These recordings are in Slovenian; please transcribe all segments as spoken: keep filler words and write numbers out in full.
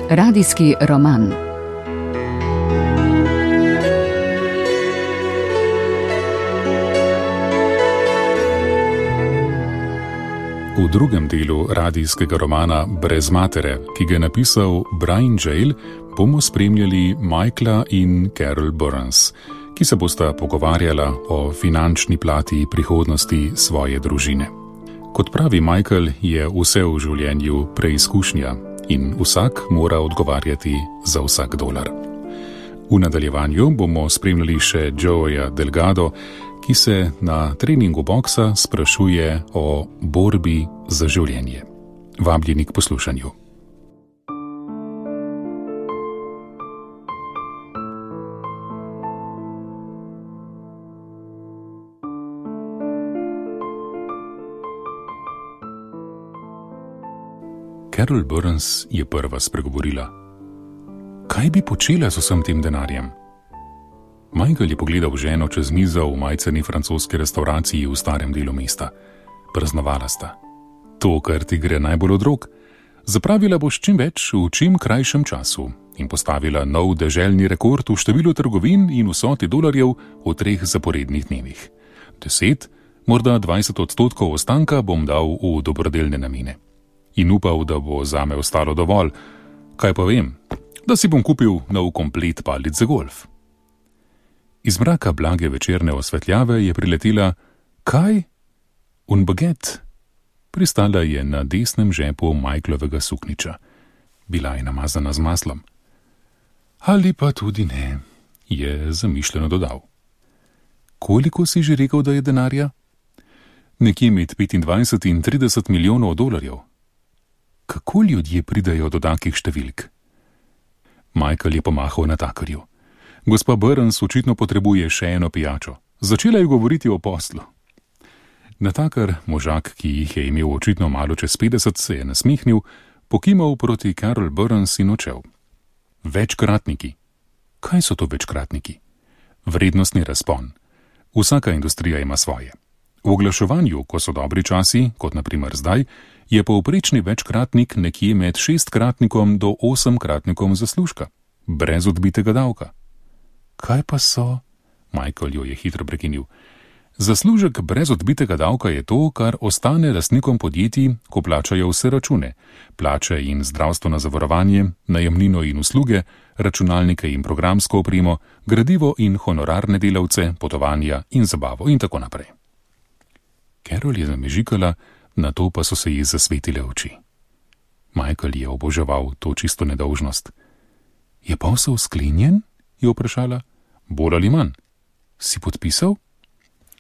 Radijski roman. V drugem delu radijskega romana Brez matere, ki ga je napisal Brian Jale, bomo spremljali Michaela in Carol Burns, ki se bosta pogovarjala o finančni plati prihodnosti svoje družine. Kot pravi Michael, je vse v življenju preizkušnja in vsak mora odgovarjati za vsak dolar. V nadaljevanju bomo spremljali še Joeja Delgado, ki se na treningu boksa sprašuje o borbi za življenje. Vabljeni k poslušanju. Carol Burns je prva spregovorila. Kaj bi počela z vsem tem denarjem? Michael je pogledal ženo čez mizo v majceni francoski restavraciji v starem delu mesta. Praznovala sta. To, kar ti gre najbolj od rok. Zapravila boš čim več v čim krajšem času in postavila nov deželni rekord v številu trgovin in vsoti dolarjev v treh zaporednih dnevih. Deset, morda dvajset odstotkov ostanka bom dal v dobrodelne namene. In upal, da bo zame ostalo dovolj. Kaj pa vem? Da si bom kupil nov komplet palic za golf. Iz mraka blage večerne osvetljave je priletela kaj? Un baget. Pristala je na desnem žepu Michaelovega sukniča. Bila je namazana z maslom. Ali pa tudi ne, je zamišljeno dodal. Koliko si že rekel, da je denarja? Nekje med petindvajset in trideset milijonov dolarjev. Kako ljudje pridajo do takih številk? Michael je pomahal natakarju. Gospa Burns očitno potrebuje še eno pijačo. Začela je govoriti o poslu. Natakar, možak, ki jih je imel očitno malo čez petdeset, se je nasmihnil, pokimal proti Carol Burns in odšel. Večkratniki. Kaj so to večkratniki? Vrednostni razpon. Vsaka industrija ima svoje. V oglaševanju, ko so dobri časi, kot na primer zdaj, je povprečni večkratnik nekje med šestkratnikom do osemkratnikom zaslužka, brez odbitega davka. Kaj pa so? Michael jo je hitro prekinil. Zaslužek brez odbitega davka je to, kar ostane lastnikom podjetij, ko plačajo vse račune, plače in zdravstveno zavarovanje, najemnino in usluge, računalnike in programsko opremo, gradivo in honorarne delavce, potovanja in zabavo in tako naprej. Carol je zamežikala, nato pa so se ji zasvetile oči. Michael je oboževal to čisto nedolžnost. Je posel sklenjen? Je vprašala. Bolj ali manj. Si podpisal?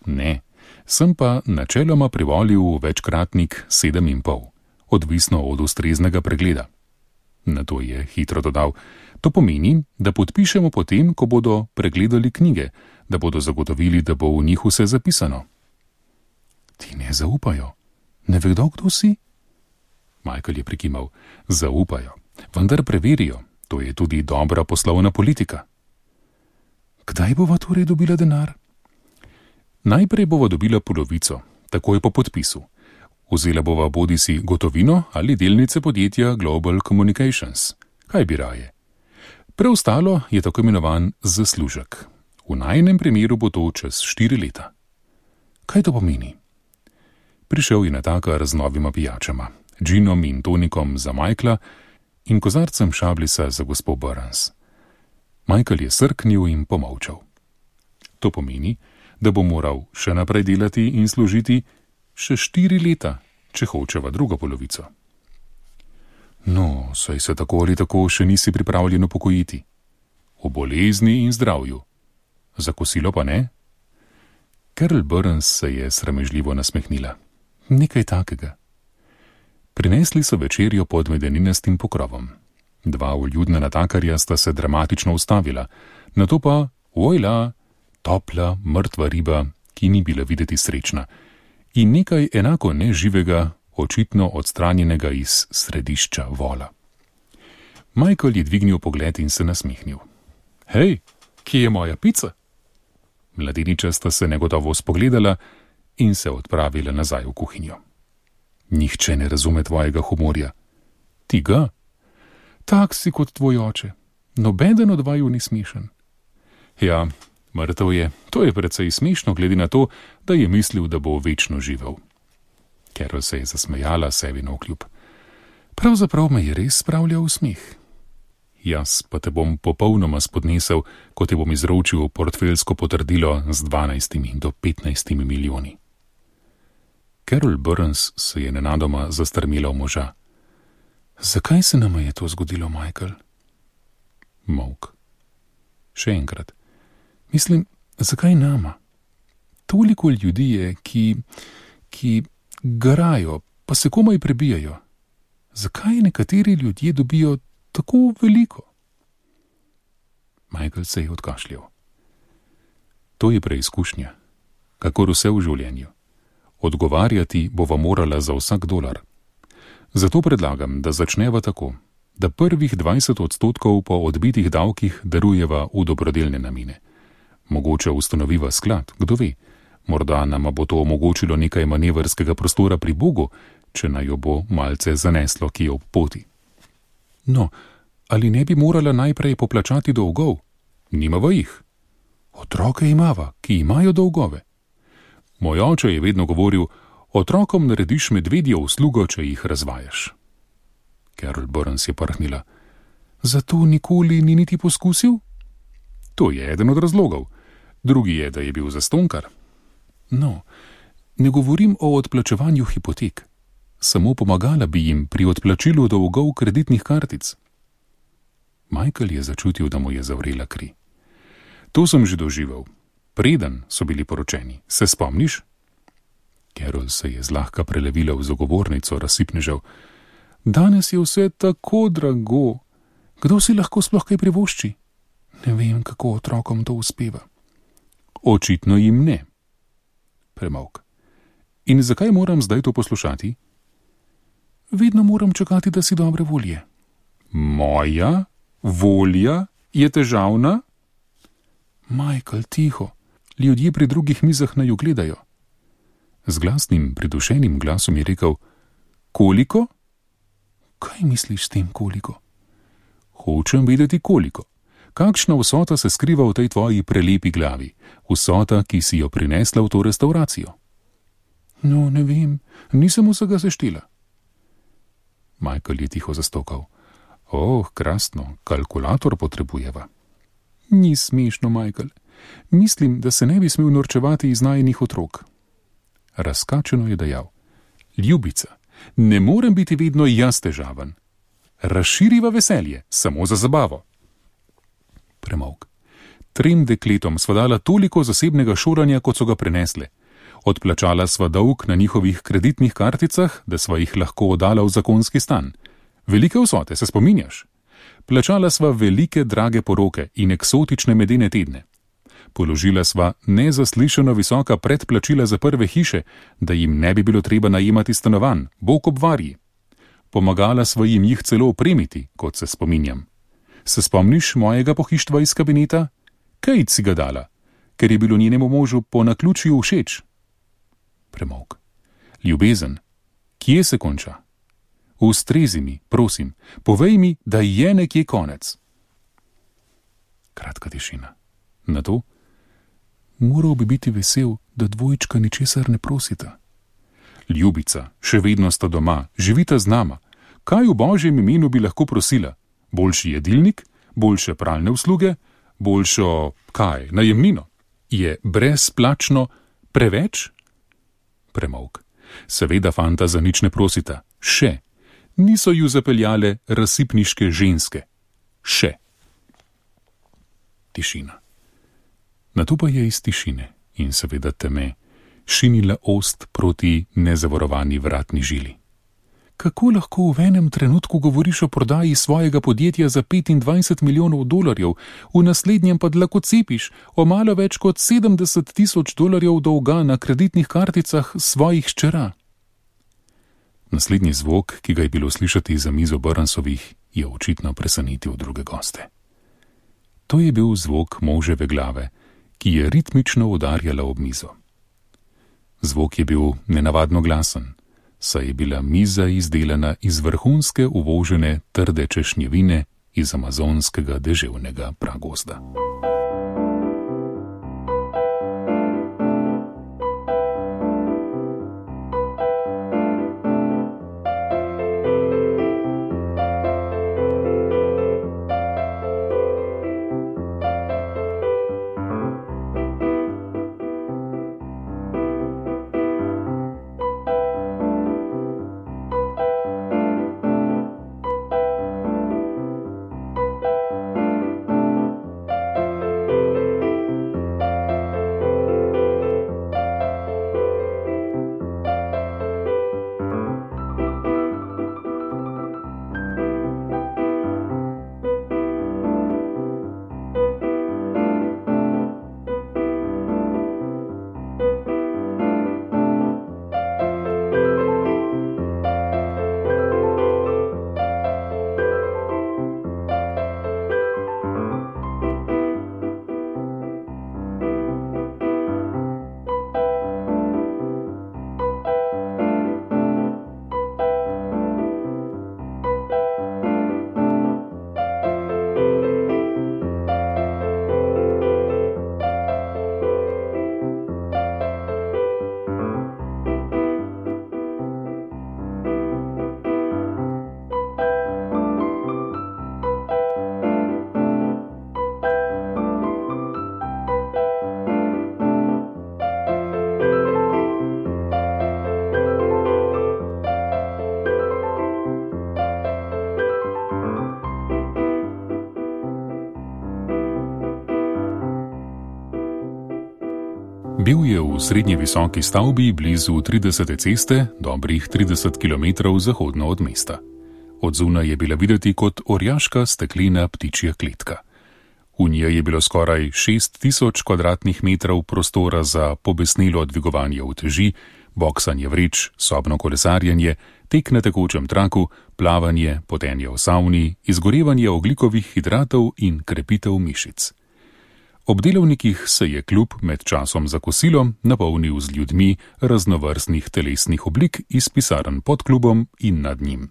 Ne, sem pa načeloma privolil večkratnik sedem in pol, odvisno od ustreznega pregleda. Nato je hitro dodal, to pomeni, da podpišemo potem, ko bodo pregledali knjige, da bodo zagotovili, da bo v njih vse zapisano. Ti ne zaupajo. Ne vedo, kdo si? Michael je prikimal. Zaupajo, vendar preverijo. To je tudi dobra poslovna politika. Kdaj bova torej dobila denar? Najprej bova dobila polovico, takoj po podpisu. Vzela bova bodisi gotovino ali delnice podjetja Global Communications. Kaj bi raje? Preostalo je tako imenovan zaslužek. V najinem primeru bo to čez štiri leta. Kaj to pomeni? Prišel je natakar z novima pijačama, džinom in tonikom za Michaela in kozarcem šablisa za gospo Burns. Michael je srknil in pomolčal. To pomeni, da bo moral še naprej delati in služiti še štiri leta, če hočeva drugo polovico. No, saj se tako ali tako še nisi pripravljen upokojiti. O bolezni in zdravju. Za kosilo pa ne? Carol Burns se je sramežljivo nasmehnila. Nekaj takega. Prinesli so večerjo pod medeninastim pokrovom. Dva vljudna natakarja sta se dramatično ustavila, nato pa, ojla, topla, mrtva riba, ki ni bila videti srečna, in nekaj enako neživega, očitno odstranjenega iz središča vola. Michael je dvignil pogled in se nasmehnil. Hej, kje je moja pica? Mladeniča sta se negotovo spogledala in se odpravila nazaj v kuhinjo. Nihče ne razume tvojega humorja. Ti ga? Tak si kot tvoj oče. Nobeden od vaju ni smešen. Ja, mrtev je. To je precej smešno, glede na to, da je mislil, da bo večno živel. Carol se je zasmejala sebi navkljub. Pravzaprav me je res spravljal v smeh. Jaz pa te bom popolnoma spodnesel, ko te bom izročil portfeljsko potrdilo z dvanajstimi do petnajstimi milijoni. Carol Burns se je nenadoma zastrmela v moža. Zakaj se nama je to zgodilo, Michael? Molk. Še enkrat. Mislim, zakaj nama? Toliko ljudi je, ki, ki garajo, pa se komaj prebijajo. Zakaj nekateri ljudje dobijo tako veliko? Michael se je odkašljal. To je preizkušnja, kakor vse v življenju. Odgovarjati bova morala za vsak dolar. Zato predlagam, da začneva tako, da prvih dvajset odstotkov po odbitih davkih darujeva v dobrodelne namene. Mogoče ustanoviva sklad, kdo ve, morda nama bo to omogočilo nekaj manevrskega prostora pri Bogu, če naj jo bo malce zaneslo kje ob poti. No, ali ne bi morala najprej poplačati dolgov? Nimava jih. Otroke imava, ki imajo dolgove. Moj oče je vedno govoril, otrokom narediš medvedjo uslugo, če jih razvajaš. Carol Burns je prhnila. Zato nikoli ni niti poskusil? To je eden od razlogov. Drugi je, da je bil zastonkar. No, ne govorim o odplačevanju hipotek. Samo pomagala bi jim pri odplačilu dolgov kreditnih kartic. Michael je začutil, da mu je zavrela kri. To sem že doživel. Preden so bili poročeni. Se spomniš? Carol se je zlahka prelevila v zagovornico razsipnežev. Danes je vse tako drago. Kdo si lahko sploh kaj privošči? Ne vem, kako otrokom to uspeva. Očitno jim ne. Premolk. In zakaj moram zdaj to poslušati? Vedno moram čakati, da si dobre volje. Moja volja je težavna? Michael, tiho. Ljudje pri drugih mizah naju gledajo. Z glasnim, pridušenim glasom je rekel, koliko? Kaj misliš s tem koliko? Hočem vedeti koliko. Kakšna vsota se skriva v tej tvoji prelepi glavi? Vsota, ki si jo prinesla v to restauracijo. No, ne vem, nisem vsega seštela. Michael je tiho zastokal. Oh, krasno, kalkulator potrebujeva. Ni smešno, Michael. Mislim, da se ne bi smel norčevati iz najinih otrok. Razkačeno je dejal. Ljubica, ne morem biti vedno jaz težaven. Razširiva veselje, samo za zabavo. Premolk. Trem dekletom sva dala toliko zasebnega šolanja, kot so ga prenesle. Odplačala sva dolg na njihovih kreditnih karticah, da sva jih lahko oddala v zakonski stan. Velike vsote, se spominjaš? Plačala sva velike drage poroke in eksotične medene tedne. Položila sva nezaslišano visoka predplačila za prve hiše, da jim ne bi bilo treba najemati stanovanj, bog ob varji. Pomagala sva jim jih celo opremiti, kot se spominjam. Se spomniš mojega pohištva iz kabineta? Kejt si ga dala, ker je bilo njenemu možu po naključju všeč. Premolk. Ljubezen, kje se konča? Ustrezi mi, prosim, povej mi, da je nekje konec. Kratka tišina. Na to? Moral bi biti vesel, da dvojčka ničesar ne prosita. Ljubica, še vedno sta doma, živita z nama. Kaj v božjem imenu bi lahko prosila? Boljši jedilnik? Boljše pralne usluge? Boljšo, kaj, najemnino? Je brezplačno preveč? Premolk. Seveda fanta za nič ne prosita. Še. Niso ju zapeljale razsipniške ženske. Še. Tišina. Nato pa je iz tišine in seveda teme šinila ost proti nezavarovani vratni žili. Kako lahko v enem trenutku govoriš o prodaji svojega podjetja za petindvajset milijonov dolarjev, v naslednjem pa dlako cepiš o malo več kot sedemdeset tisoč dolarjev dolga na kreditnih karticah svojih hčera? Naslednji zvok, ki ga je bilo slišati za mizo Burnsovih, je očitno presenetil druge goste. To je bil zvok moževe glave, ki je ritmično udarjala ob mizo. Zvok je bil nenavadno glasen, saj je bila miza izdelana iz vrhunske uvožene trde češnjevine iz amazonskega deževnega pragozda. Bil je v srednje visoki stavbi blizu tridesete ceste, dobrih trideset kilometrov zahodno od mesta. Od zunaj je bila videti kot orjaška steklena ptičja kletka. V njej je bilo skoraj šest tisoč kvadratnih metrov prostora za pobesnelo dvigovanje uteži, boksanje vreč, sobno kolesarjenje, tek na tekočem traku, plavanje, potenje v savni, izgorevanje ogljikovih hidratov in krepitev mišic. Ob delovnikih se je klub med časom za kosilo napolnil z ljudmi raznovrstnih telesnih oblik iz pisarn pod klubom in nad njim.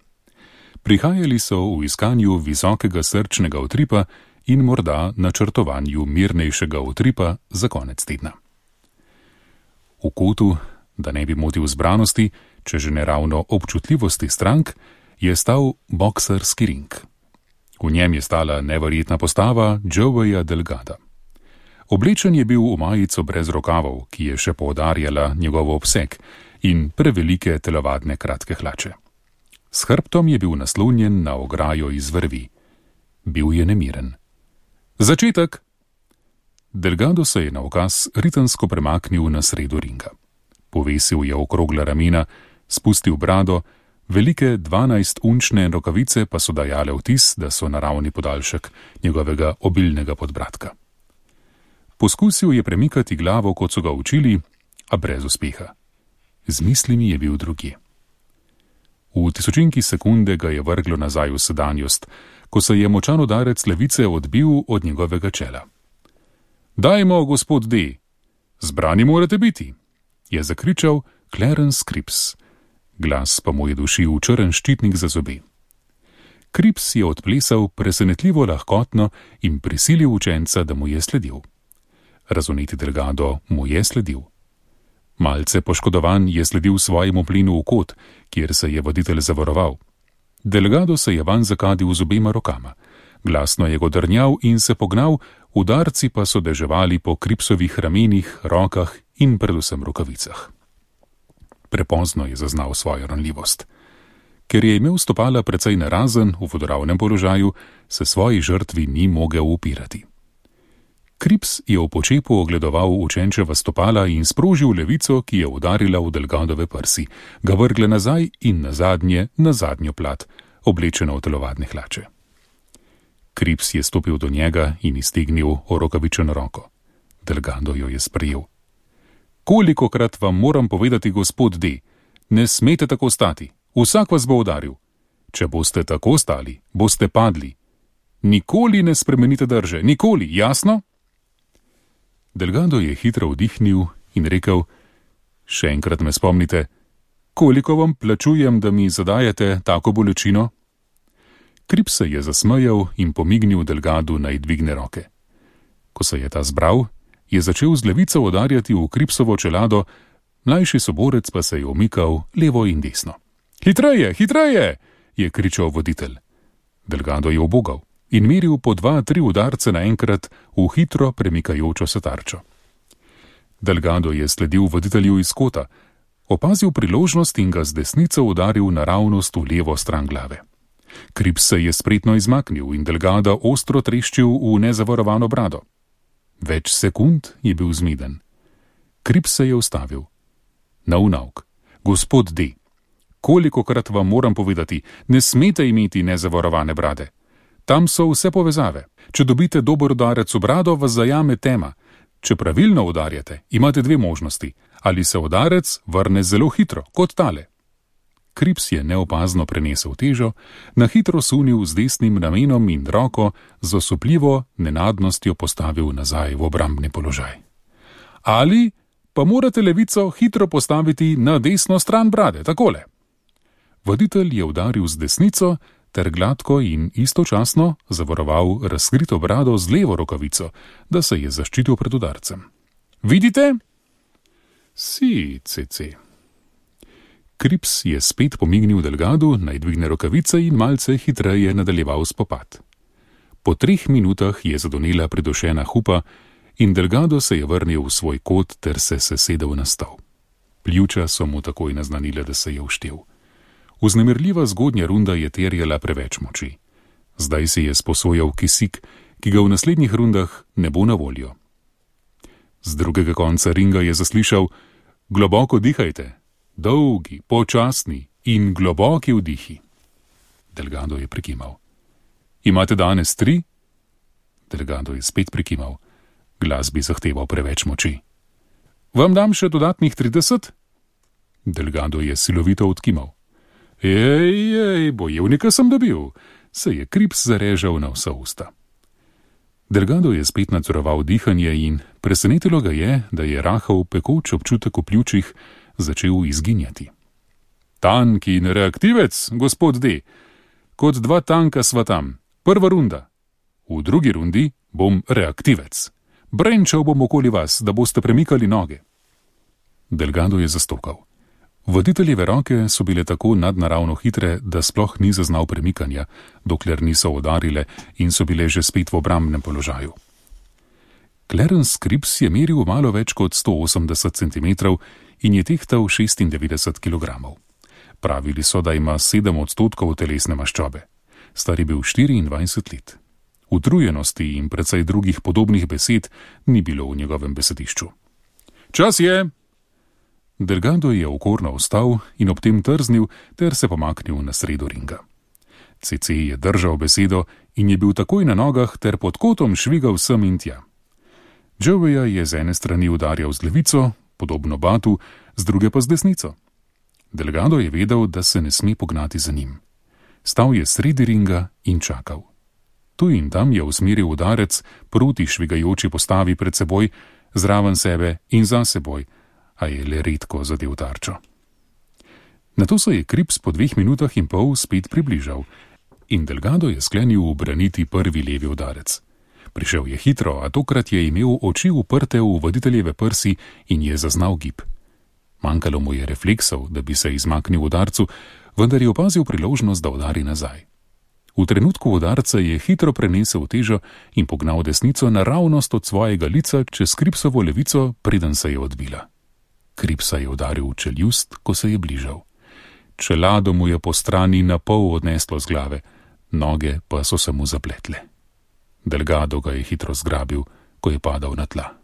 Prihajali so v iskanju visokega srčnega utripa in morda načrtovanju mirnejšega utripa za konec tedna. V kotu, da ne bi motil zbranosti, če že ne ravno občutljivosti strank, je stal boksarski ring. V njem je stala neverjetna postava Joeya Delgada. Oblečen je bil v majico brez rokavov, ki je še poudarjala njegov obseg, in prevelike telovadne kratke hlače. S hrbtom je bil naslonjen na ograjo iz vrvi. Bil je nemiren. Začetek! Delgado se je na ukaz ritemsko premaknil na sredo ringa. Povesil je okrogla ramena, spustil brado, velike dvanajstunčne rokavice pa so dajale vtis, da so naravni podaljšek njegovega obilnega podbradka. Poskusil je premikati glavo, kot so ga učili, a brez uspeha. Z mislimi je bil drugje. V tisočinki sekunde ga je vrglo nazaj v sedanjost, ko se je močan udarec levice odbil od njegovega čela. Dajmo, gospod D, zbrani morate biti, je zakričal Clarence Cripps. Glas pa mu je dušil črn ščitnik za zobe. Cripps je odplesal presenetljivo lahkotno in prisilil učenca, da mu je sledil. Razvneti Delgado mu je sledil. Malce poškodovan je sledil svojemu plinu v kot, kjer se je voditelj zavaroval. Delgado se je vanj zakadil z obema rokama. Glasno je godrnjal in se pognal, udarci pa so deževali po Crippsovih ramenih, rokah in predvsem rokavicah. Prepozno je zaznal svojo ranljivost. Ker je imel stopala precej narazen v vodoravnem položaju, se svoji žrtvi ni mogel upirati. Cripps je v počepu ogledoval učenčeva stopala in sprožil levico, ki je udarila v Delgadove prsi, ga vrgle nazaj in nazadnje na zadnjo plat, oblečeno v telovadne hlače. Cripps je stopil do njega in iztegnil orokavičeno roko. Delgado jo je sprejel. Kolikokrat vam moram povedati, gospod D, ne smete tako stati, vsak vas bo udaril. Če boste tako stali, boste padli. Nikoli ne spremenite drže, nikoli, jasno? Delgado je hitro vdihnil in rekel, še enkrat me spomnite, Koliko vam plačujem, da mi zadajate tako bolečino? Krips se je zasmejal in pomignil Delgadu, naj dvigne roke. Ko se je ta zbral, je začel z levico udarjati v Kripsovo čelado, mlajši soborec pa se je omikal levo in desno. Hitreje, hitreje, je kričal voditelj. Delgado je ubogal in meril po dva, tri udarce naenkrat v hitro premikajočo se tarčo. Delgado je sledil voditelju iz kota, opazil priložnost in ga z desnico udaril naravnost v levo stran glave. Krips se je spretno izmaknil in Delgada ostro treščil v nezavarovano brado. Več sekund je bil zmeden. Krips se je ustavil. Nov nauk. Gospod D., kolikokrat vam moram povedati, ne smete imeti nezavarovane brade. Tam so vse povezave. Če dobite dober udarec v brado, vas zajame tema. Če pravilno udarjate, imate dve možnosti. Ali se udarec vrne zelo hitro, kot tale. Krips je neopazno prenesel težo, na hitro sunil z desnim ramenom in roko z osupljivo nenadnostjo postavil nazaj v obrambni položaj. Ali pa morate levico hitro postaviti na desno stran brade, takole. Voditelj je udaril z desnico ter gladko in istočasno zavaroval razkrito brado z levo rokavico, da se je zaščitil pred udarcem. Vidite? Si, cece. Krips je spet pomignil Delgadu, naj dvigne rokavice in malce hitreje nadaljeval spopad. Po treh minutah je zadonela pridušena hupa in Delgado se je vrnil v svoj kot ter se sesedel na stol. Pljuča so mu takoj naznanile, da se je uštel. Vznemirljiva zgodnja runda je terjala preveč moči. Zdaj si je sposojal kisik, ki ga v naslednjih rundah ne bo na voljo. Z drugega konca ringa je zaslišal: globoko dihajte, dolgi, počasni in globoki vdihi. Delgado je prikimal. Imate danes tri? Delgado je spet prikimal. Glas bi zahteval preveč moči. Vam dam še dodatnih trideset? Delgado je silovito odkimal. Ej, ej, bojevnika sem dobil, se je Krips zarežal na vsa usta. Delgado je spet nadzoroval dihanje in presenetilo ga je, da je rahel pekoč občutek v pljučih začel izginjati. Tank in reaktivec, gospod D. Kot dva tanka sva tam. Prva runda. V drugi rundi bom reaktivec. Brenčal bom okoli vas, da boste premikali noge. Delgado je zastokal. Voditeljeve roke so bile tako nadnaravno hitre, da sploh ni zaznal premikanja, dokler niso udarile in so bile že spet v obrambnem položaju. Clarence Krips je meril malo več kot sto osemdeset centimetrov in je tehtal šestindevetdeset kilogramov. Pravili so, da ima sedem odstotkov telesne maščobe. Star je bil štiriindvajset let. Utrujenosti in precej drugih podobnih besed ni bilo v njegovem besedišču. Čas je! Delgado je okorno vstal in ob tem trznil ter se pomaknil na sredo ringa. C C je držal besedo in je bil takoj na nogah ter pod kotom švigal sem in tja. Joeya je z ene strani udarjal z levico, podobno Batu, z druge pa z desnico. Delgado je vedel, da se ne sme pognati za njim. Stal je sredi ringa in čakal. Tu in tam je usmeril udarec proti švigajoči postavi pred seboj, zraven sebe in za seboj, a je le redko zadev tarčo. Nato se je Krips po dveh minutah in pol spet približal in Delgado je sklenil ubraniti prvi levi udarec. Prišel je hitro, a tokrat je imel oči uprte v voditeljeve prsi in je zaznal gib. Manjkalo mu je refleksov, da bi se izmaknil udarcu, vendar je opazil priložnost, da udari nazaj. V trenutku udarca je hitro prenesel težo in pognal desnico naravnost od svojega lica čez Kripsovo levico, preden se je odbila. Kripsa je udaril v čeljust, ko se je bližal. Čelado mu je po strani na pol odneslo z glave, noge pa so se mu zapletle. Delgado ga je hitro zgrabil, ko je padal na tla.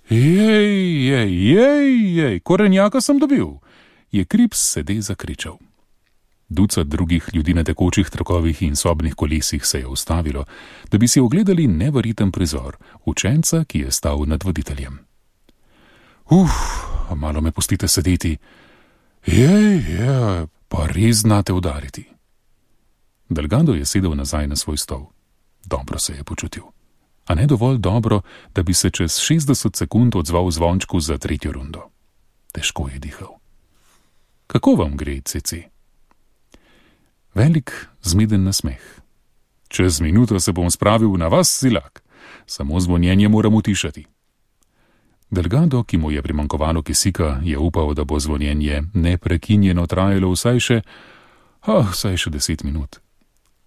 Jej, jej, jej, jej, korenjaka sem dobil, je Krips sede zakričal. Ducat drugih ljudi na tekočih trakovih in sobnih kolesih se je ustavilo, da bi si ogledali neverjeten prizor učenca, ki je stal nad voditeljem. Uf, malo me pustite sedeti. Jej, jej, pa res znate udariti. Delgado je sedel nazaj na svoj stol. Dobro se je počutil. A ne dovolj dobro, da bi se čez šestdeset sekund odzval zvončku za tretjo rundo. Težko je dihal. Kako vam gre, cece? Velik, zmeden nasmeh. Čez minuto se bom spravil na vas, silak. Samo zvonjenje moram utišati. Delgado, ki mu je primankovalo kisika, je upal, da bo zvonjenje neprekinjeno trajalo vsaj še, ah, vsaj še deset minut.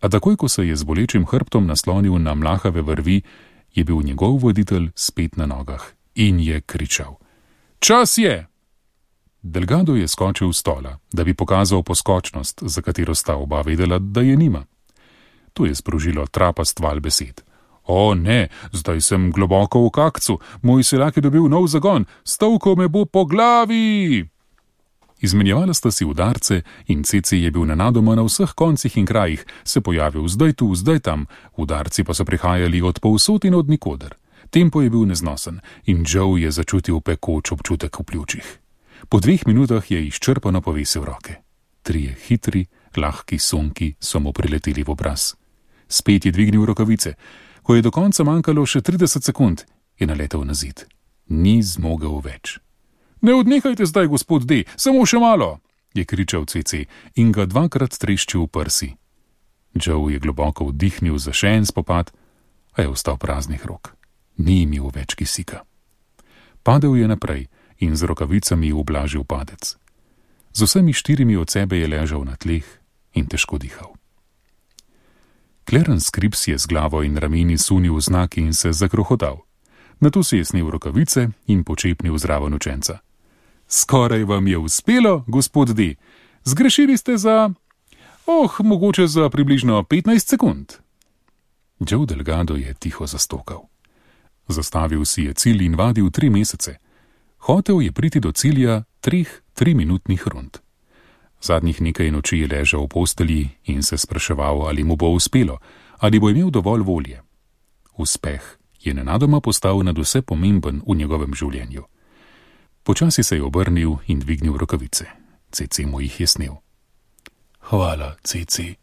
A takoj, ko se je z bolečim hrbtom naslonil na mlahave vrvi, je bil njegov voditelj spet na nogah in je kričal: Čas je! Delgado je skočil s stola, da bi pokazal poskočnost, za katero sta oba vedela, da je nima. To je sprožilo trapast val besed. O ne, zdaj sem globoko v kakcu, moj silak je dobil nov zagon, stavko me bo po glavi! Izmenjevala sta si udarce in cece je bil nenadoma na vseh koncih in krajih, se pojavil zdaj tu, zdaj tam, udarci pa so prihajali od povsod in od nikoder. Tempo je bil neznosen in Joe je začutil pekoč občutek v pljučih. Po dveh minutah je izčrpano povesil roke. Trije hitri, lahki sunki so mu prileteli v obraz. Spet je dvignil rokavice. Ko je do konca manjkalo še trideset sekund, je naletel na zid. Ni zmogel več. Ne odnehajte zdaj, gospod D, samo še malo, je kričal cece in ga dvakrat treščil v prsi. Joe je globoko vdihnil za še en spopad, a je ostal praznih rok. Ni imel več kisika. Padel je naprej in z rokavicami ublažil padec. Z vsemi štirimi od sebe je ležal na tleh in težko dihal. Clarence Cripps je z glavo in rameni sunil znaki in se zakrohotal. Nato si je snel rokavice in počepnil zraven učenca. Skoraj vam je uspelo, gospod D. Zgrešili ste za, oh, mogoče za približno petnajst sekund. Joe Delgado je tiho zastokal. Zastavil si je cilj in vadil tri mesece. Hotel je priti do cilja treh triminutnih rund. Zadnjih nekaj noči je ležal v postelji in se spraševal, ali mu bo uspelo, ali bo imel dovolj volje. Uspeh je nenadoma postal nadvse pomemben v njegovem življenju. Počasi se je obrnil in dvignil rokavice. Cece mu jih je snel. Hvala, Cece,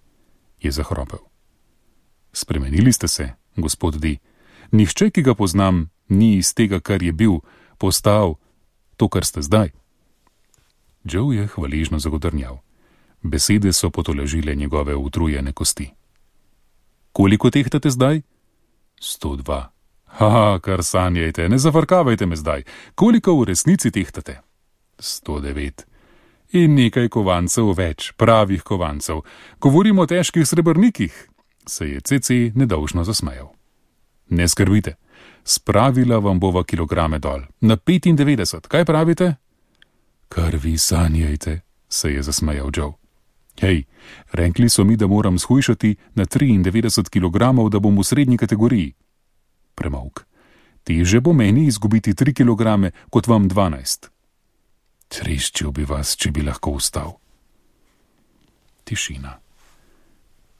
je zahropel. Spremenili ste se, gospod D. Nihče, ki ga poznam, ni iz tega, kar je bil, postal to, kar ste zdaj. Joe je hvaležno zagodrnjal. Besede so potolažile njegove utrujene kosti. Koliko tehtate zdaj? Sto dva. Ha, kar sanjajte, ne zavrkavajte me zdaj. Koliko v resnici tehtate? Sto devet. In nekaj kovancev več, pravih kovancev. Govorimo o težkih srebrnikih, se je Cece nedolžno zasmejal. Ne skrbite, spravila vam bova kilograme dol, na petindevetdeset, kaj pravite? Kar vi sanjajte, se je zasmejal Joe. Hej, rekli so mi, da moram shujšati na triindevetdeset kilogramov, da bom v srednji kategoriji. Premolk. Teže bo meni izgubiti tri kilograme, kot vam dvanajst. Treščil bi vas, če bi lahko vstal. Tišina.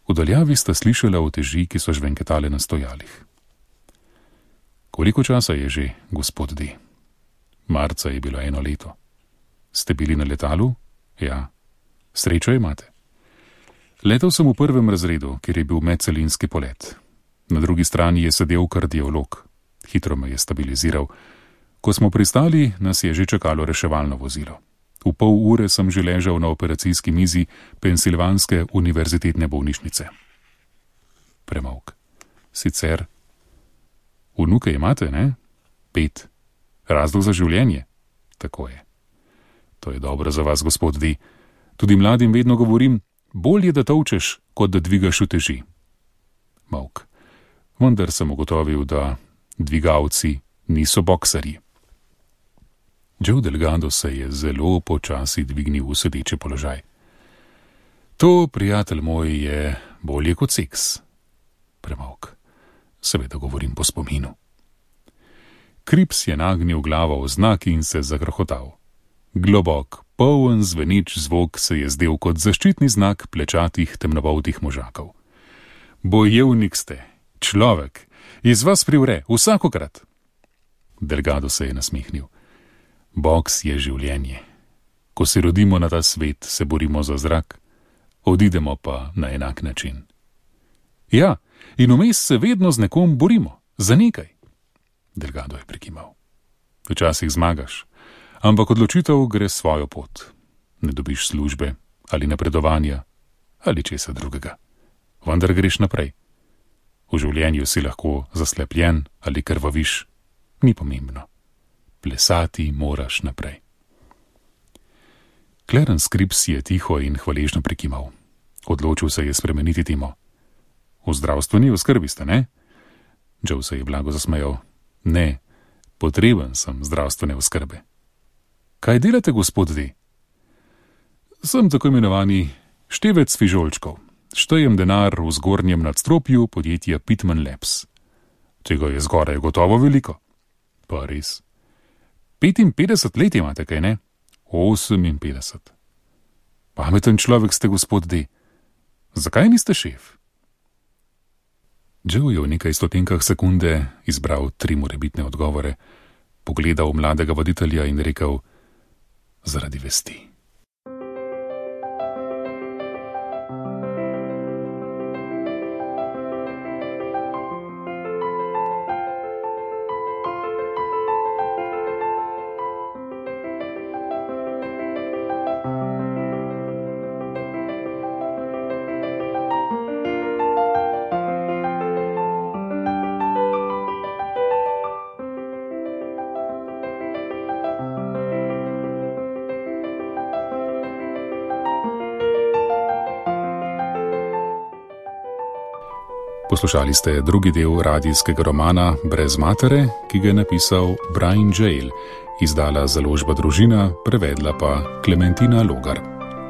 V daljavi sta slišala uteži, ki so žvenketale na stojalih. Koliko časa je že, gospod D? Marca je bilo eno leto. Ste bili na letalu? Ja. Srečo imate. Letel sem v prvem razredu, kjer je bil medcelinski polet. Na drugi strani je sedel kardiolog. Hitro me je stabiliziral. Ko smo pristali, nas je že čakalo reševalno vozilo. V pol ure sem že ležal na operacijski mizi Pensilvanske univerzitetne bolnišnice. Premolk. Sicer. Vnuke imate, ne? Pet. Razlog za življenje? Tako je. To je dobro za vas, gospod D. Tudi mladim vedno govorim, bolje da tolčeš, kot da dvigaš uteži. Molk. Vendar sem ugotovil, da dvigalci niso boksarji. Joe Delgado se je zelo počasi dvignil v sedeči položaj. To, prijatelj moj, je bolje kot seks. Premolk. Seveda govorim po spominu. Cripps je nagnil glavo v znak in se zakrohotal. Globok, poln zveneč zvok se je zdel kot zaščitni znak plečatih temnopoltih možakov. Bojevnik ste, človek, iz vas privre, vsakokrat. Delgado se je nasmehnil. Boks je življenje. Ko se rodimo na ta svet, se borimo za zrak, odidemo pa na enak način. Ja, in vmes se vedno z nekom borimo, za nekaj. Delgado je prikimal. Včasih zmagaš, ampak odločitev gre svojo pot. ne dobiš službe ali napredovanja ali česa drugega. Vendar greš naprej. V življenju si lahko zaslepljen ali krvaviš, ni pomembno. Plesati moraš naprej. Clarence Cripps je tiho in hvaležno prikimal. Odločil se je spremeniti temo. V zdravstveni oskrbi ste, ne? Joe se je blago zasmejal. Ne, potreben sem zdravstvene oskrbe. Kaj delate, gospod D? Sem tako imenovani števec fižolčkov. Štejem denar v zgornjem nadstropju podjetja Pitman Labs. Tega je zgoraj gotovo veliko. Pa res. petinpetdeset let imate, kaj ne? oseminpetdeset. Pameten človek ste, gospod D. Zakaj niste šef? Joe je v nekaj stotinkah sekunde izbral tri morebitne odgovore, pogledal mladega voditelja in rekel: zaradi vesti. Poslušali ste drugi del radijskega romana Brez matere, ki ga je napisal Brian Jale, izdala založba Družina, prevedla pa Klementina Logar.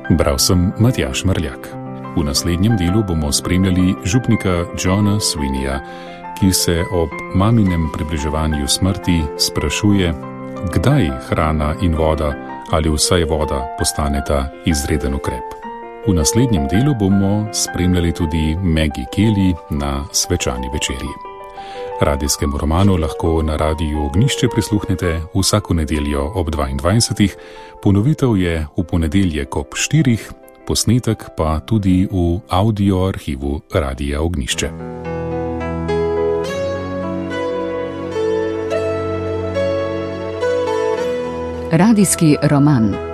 Bral sem Matjaž Mrljak. V naslednjem delu bomo spremljali župnika Johna Sweeneya, ki se ob maminem približevanju smrti sprašuje, kdaj hrana in voda ali vsaj voda postaneta izreden ukrep. V naslednjem delu bomo spremljali tudi Maggie Kelly na svečani večerji. Radijskemu romanu lahko na Radiu Ognjišče prisluhnete vsako nedeljo ob dvaindvajsetih, ponovitev je v ponedeljek ob štirih, posnetek pa tudi v audio arhivu Radia Ognjišče. Radijski roman.